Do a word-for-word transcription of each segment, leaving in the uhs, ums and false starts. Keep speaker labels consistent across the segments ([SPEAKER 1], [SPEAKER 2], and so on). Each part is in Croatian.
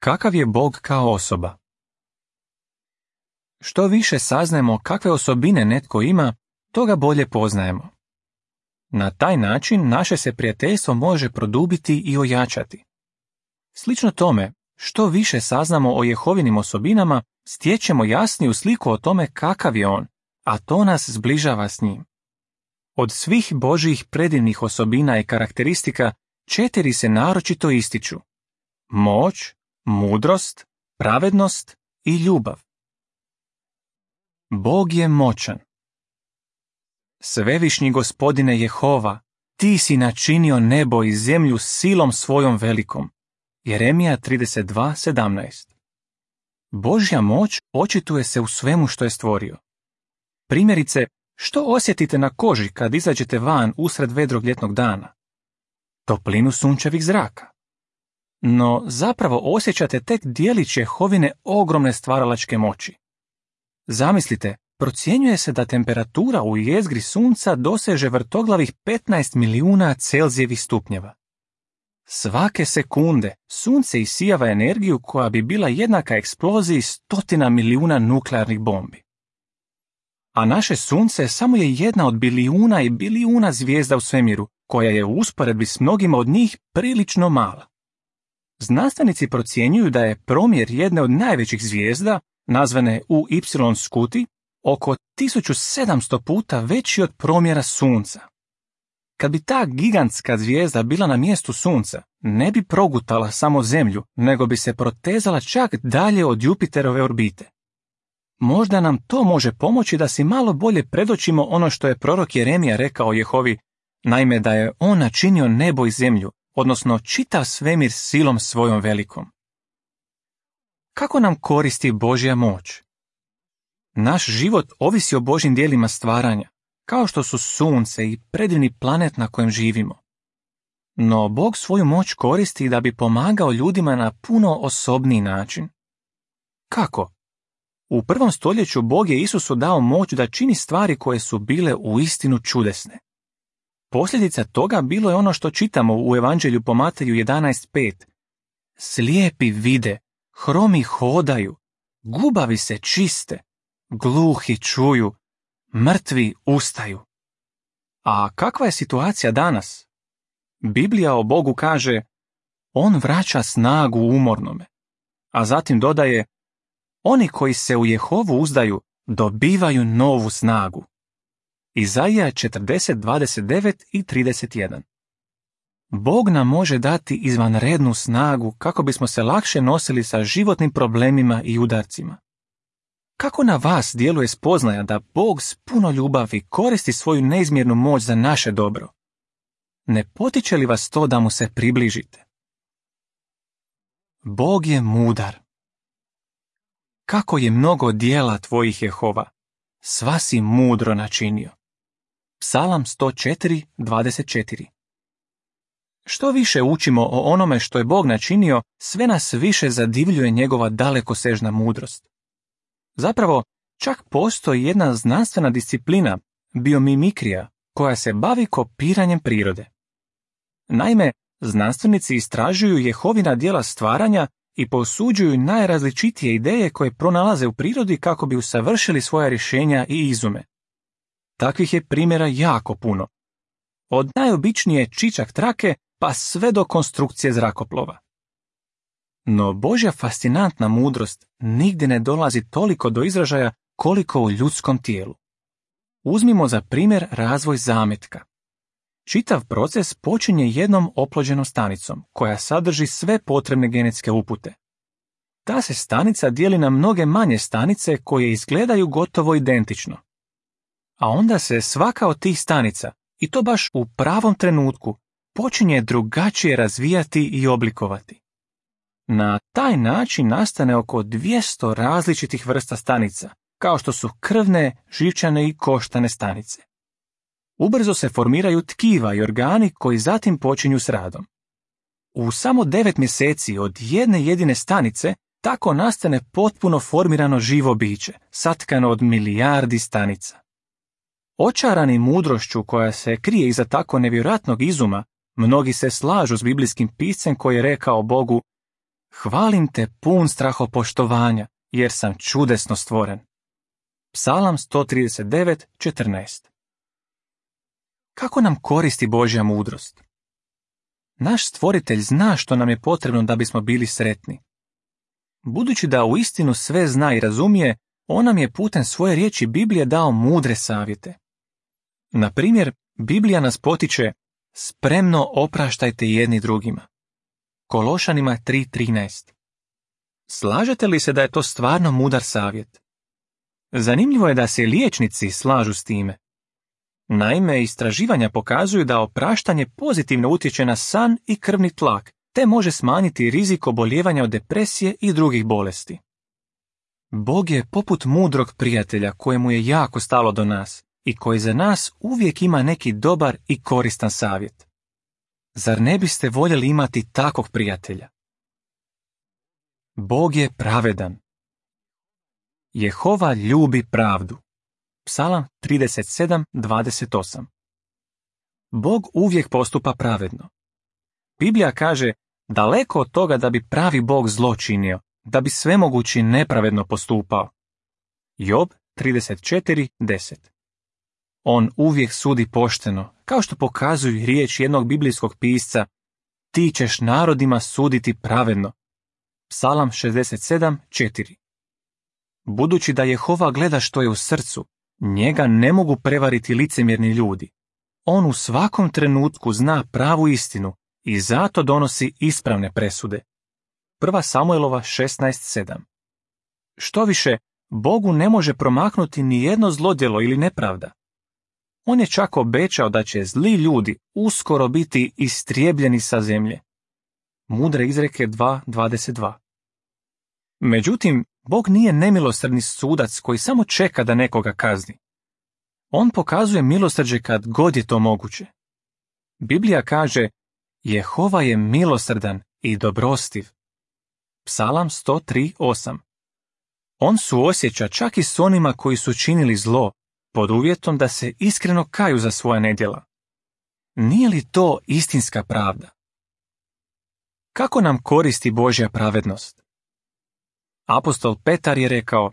[SPEAKER 1] Kakav je Bog kao osoba? Što više saznajemo kakve osobine netko ima, to ga bolje poznajemo. Na taj način naše se prijateljstvo može produbiti i ojačati. Slično tome, što više saznamo o Jehovinim osobinama, stječemo jasniju sliku o tome kakav je on, a to nas zbližava s njim. Od svih Božjih predivnih osobina i karakteristika, četiri se naročito ističu: moć, mudrost, pravednost i ljubav. Bog je moćan. Svevišnji Gospodine Jehova, ti si načinio nebo i zemlju silom svojom velikom. Jeremija trideset dva sedamnaest. Božja moć očituje se u svemu što je stvorio. Primjerice, što osjetite na koži kad izađete van usred vedrog ljetnog dana? Toplinu sunčevih zraka. No zapravo osjećate tek djelić Jehovine ogromne stvaralačke moći. Zamislite, procjenjuje se da temperatura u jezgri sunca doseže vrtoglavih petnaest milijuna Celzijevih stupnjeva. Svake sekunde sunce isijava energiju koja bi bila jednaka eksploziji stotina milijuna nuklearnih bombi. A naše sunce samo je jedna od bilijuna i bilijuna zvijezda u svemiru, koja je u usporedbi s mnogima od njih prilično mala. Znanstvenici procjenjuju da je promjer jedne od najvećih zvijezda, nazvane U Y Scuti, oko tisuću sedamsto puta veći od promjera sunca. Kad bi ta gigantska zvijezda bila na mjestu sunca, ne bi progutala samo zemlju, nego bi se protezala čak dalje od Jupiterove orbite. Možda nam to može pomoći da si malo bolje predočimo ono što je prorok Jeremija rekao Jehovi, naime da je on načinio nebo i zemlju, odnosno čitav svemir silom svojom velikom. Kako nam koristi Božja moć? Naš život ovisi o Božjim djelima stvaranja, kao što su sunce i predivni planet na kojem živimo. No Bog svoju moć koristi da bi pomagao ljudima na puno osobniji način. Kako? U prvom stoljeću Bog je Isusu dao moć da čini stvari koje su bile uistinu čudesne. Posljedica toga bilo je ono što čitamo u Evanđelju po Mateju jedanaest pet. Slijepi vide, hromi hodaju, gubavi se čiste, gluhi čuju, mrtvi ustaju. A kakva je situacija danas? Biblija o Bogu kaže: on vraća snagu umornome, a zatim dodaje: oni koji se u Jehovu uzdaju dobivaju novu snagu. Izaija četrdeset dvadeset devet i trideset jedan. Bog nam može dati izvanrednu snagu kako bismo se lakše nosili sa životnim problemima i udarcima. Kako na vas djeluje spoznaja da Bog s puno ljubavi koristi svoju neizmjernu moć za naše dobro? Ne potiče li vas to da mu se približite? Bog je mudar. Kako je mnogo djela tvojih Jehova, sva si mudro načinio. Psalam sto četiri dvadeset četiri. Što više učimo o onome što je Bog načinio, sve nas više zadivljuje njegova dalekosežna mudrost. Zapravo, čak postoji jedna znanstvena disciplina, biomimikrija, koja se bavi kopiranjem prirode. Naime, znanstvenici istražuju Jehovina djela stvaranja i posuđuju najrazličitije ideje koje pronalaze u prirodi kako bi usavršili svoja rješenja i izume. Takvih je primjera jako puno. Od najobičnije čičak trake pa sve do konstrukcije zrakoplova. No Božja fascinantna mudrost nigdje ne dolazi toliko do izražaja koliko u ljudskom tijelu. Uzmimo za primjer razvoj zametka. Čitav proces počinje jednom oplođenom stanicom, koja sadrži sve potrebne genetske upute. Ta se stanica dijeli na mnoge manje stanice koje izgledaju gotovo identično. A onda se svaka od tih stanica, i to baš u pravom trenutku, počinje drugačije razvijati i oblikovati. Na taj način nastane oko dvjesto različitih vrsta stanica, kao što su krvne, živčane i koštane stanice. Ubrzo se formiraju tkiva i organi koji zatim počinju s radom. U samo devet mjeseci od jedne jedine stanice tako nastane potpuno formirano živo biće, satkano od milijardi stanica. Očarani mudrošću koja se krije iza tako nevjerojatnog izuma, mnogi se slažu s biblijskim piscem koji je rekao Bogu: Hvalim te pun strahopoštovanja, jer sam čudesno stvoren. Psalam sto trideset devet četrnaest. Kako nam koristi Božja mudrost? Naš stvoritelj zna što nam je potrebno da bismo bili sretni. Budući da uistinu sve zna i razumije, on nam je putem svoje riječi Biblije dao mudre savjete. Na primjer, Biblija nas potiče: spremno opraštajte jedni drugima. Kološanima tri trinaest. Slažete li se da je to stvarno mudar savjet? Zanimljivo je da se liječnici slažu s time. Naime, istraživanja pokazuju da opraštanje pozitivno utječe na san i krvni tlak, te može smanjiti rizik obolijevanja od depresije i drugih bolesti. Bog je poput mudrog prijatelja kojemu je jako stalo do nas i koji za nas uvijek ima neki dobar i koristan savjet. Zar ne biste voljeli imati takvog prijatelja? Bog je pravedan. Jehova ljubi pravdu. Psalam trideset sedam dvadeset osam. Bog uvijek postupa pravedno. Biblija kaže: daleko od toga da bi pravi Bog zlo činio, da bi svemogući nepravedno postupao. Job trideset četiri deset. On uvijek sudi pošteno, kao što pokazuju riječ jednog biblijskog pisca: ti ćeš narodima suditi pravedno. Psalam šezdeset sedam četiri. Budući da Jehova gleda što je u srcu, njega ne mogu prevariti licemjerni ljudi. On u svakom trenutku zna pravu istinu i zato donosi ispravne presude. Prva Samuelova šesnaest sedam. Što više, Bogu ne može promaknuti ni jedno zlodjelo ili nepravda. On je čak obećao da će zli ljudi uskoro biti istrijebljeni sa zemlje. Mudre izreke dva dvadeset dva. Međutim, Bog nije nemilosrdni sudac koji samo čeka da nekoga kazni. On pokazuje milosrđe kad god je to moguće. Biblija kaže: Jehova je milosrdan i dobrostiv. Psalam sto tri osam. On suosjeća čak i s onima koji su činili zlo, pod uvjetom da se iskreno kaju za svoja nedjela. Nije li to istinska pravda? Kako nam koristi Božja pravednost? Apostol Petar je rekao: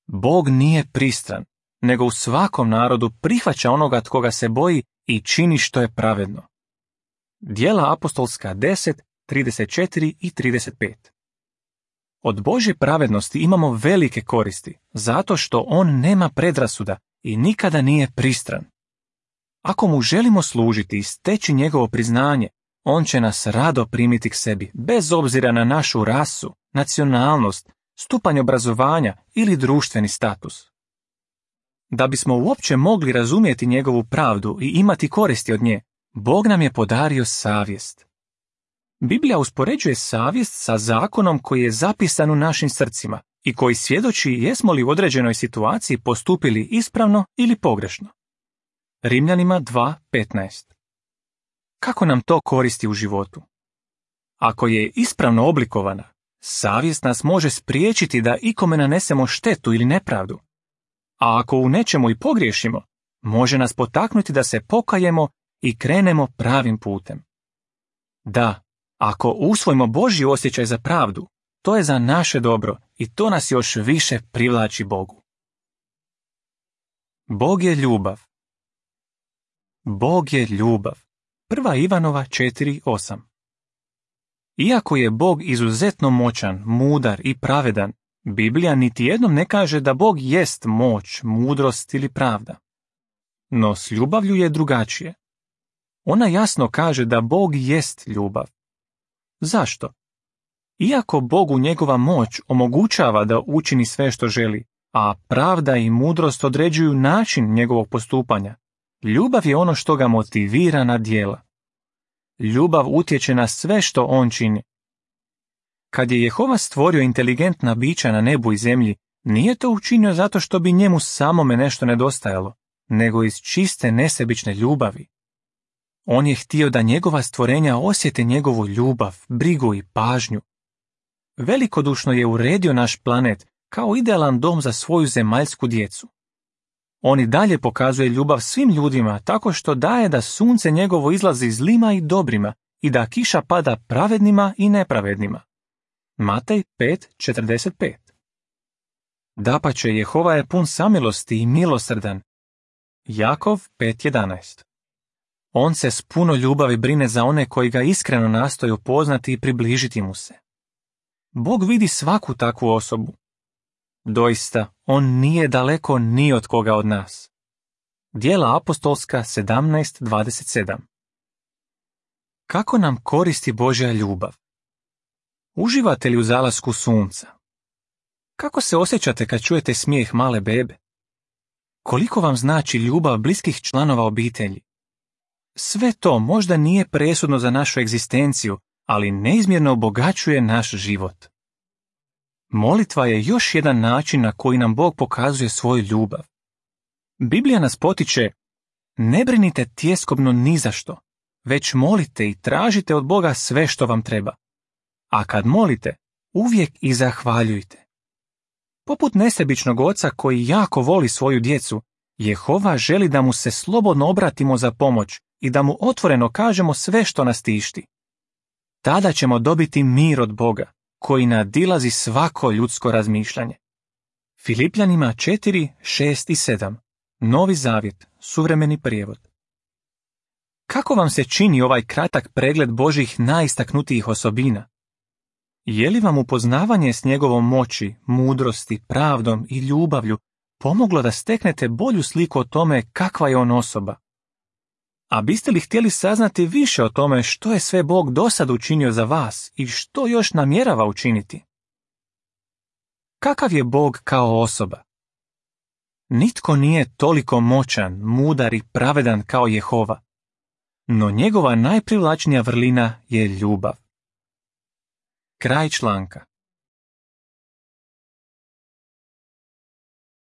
[SPEAKER 1] Bog nije pristran, nego u svakom narodu prihvaća onoga tko ga se boji i čini što je pravedno. Djela apostolska deset, trideset četiri i trideset pet. Od Božje pravednosti imamo velike koristi, zato što on nema predrasuda i nikada nije pristran. Ako mu želimo služiti i steći njegovo priznanje, on će nas rado primiti k sebi, bez obzira na našu rasu, nacionalnost, stupanj obrazovanja ili društveni status. Da bismo uopće mogli razumjeti njegovu pravdu i imati koristi od nje, Bog nam je podario savjest. Biblija uspoređuje savjest sa zakonom koji je zapisan u našim srcima i koji svjedoči jesmo li u određenoj situaciji postupili ispravno ili pogrešno. Rimljanima dva petnaest. Kako nam to koristi u životu? Ako je ispravno oblikovana, savjest nas može spriječiti da ikome nanesemo štetu ili nepravdu. A ako u nečemu i pogriješimo, može nas potaknuti da se pokajemo i krenemo pravim putem. Da, ako usvojimo Božji osjećaj za pravdu, to je za naše dobro i to nas još više privlači Bogu. Bog je ljubav. Bog je ljubav. Prva Ivanova četiri osam. Iako je Bog izuzetno moćan, mudar i pravedan, Biblija niti jednom ne kaže da Bog jest moć, mudrost ili pravda. No s ljubavlju je drugačije. Ona jasno kaže da Bog jest ljubav. Zašto? Iako Bogu njegova moć omogućava da učini sve što želi, a pravda i mudrost određuju način njegovog postupanja, ljubav je ono što ga motivira na djela. Ljubav utječe na sve što on čini. Kad je Jehova stvorio inteligentna bića na nebu i zemlji, nije to učinio zato što bi njemu samome nešto nedostajalo, nego iz čiste nesebične ljubavi. On je htio da njegova stvorenja osjete njegovu ljubav, brigu i pažnju. Velikodušno je uredio naš planet kao idealan dom za svoju zemaljsku djecu. On i dalje pokazuje ljubav svim ljudima tako što daje da sunce njegovo izlazi zlima i dobrima i da kiša pada pravednima i nepravednima. Matej pet četrdeset pet. Dapače, Jehova je pun samilosti i milosrdan. Jakov pet jedanaest. On se s puno ljubavi brine za one koji ga iskreno nastoje upoznati i približiti mu se. Bog vidi svaku takvu osobu. Doista, on nije daleko ni od koga od nas. Djela apostolska sedamnaest dvadeset sedam. Kako nam koristi Božja ljubav? Uživate li u zalasku sunca? Kako se osjećate kad čujete smijeh male bebe? Koliko vam znači ljubav bliskih članova obitelji? Sve to možda nije presudno za našu egzistenciju, ali neizmjerno obogaćuje naš život. Molitva je još jedan način na koji nam Bog pokazuje svoju ljubav. Biblija nas potiče: ne brinite tjeskobno ni za što, već molite i tražite od Boga sve što vam treba. A kad molite, uvijek i zahvaljujte. Poput nesebičnog oca koji jako voli svoju djecu, Jehova želi da mu se slobodno obratimo za pomoć i da mu otvoreno kažemo sve što nas tišti. Tada ćemo dobiti mir od Boga, koji nadilazi svako ljudsko razmišljanje. Filipljanima četiri, šest i sedam. Novi zavjet, suvremeni prijevod. Kako vam se čini ovaj kratak pregled Božjih najistaknutijih osobina? Je li vam upoznavanje s njegovom moći, mudrosti, pravdom i ljubavlju pomoglo da steknete bolju sliku o tome kakva je on osoba? A biste li htjeli saznati više o tome što je sve Bog dosad učinio za vas i što još namjerava učiniti? Kakav je Bog kao osoba? Nitko nije toliko moćan, mudar i pravedan kao Jehova, no njegova najprivlačnija vrlina je ljubav. Kraj članka.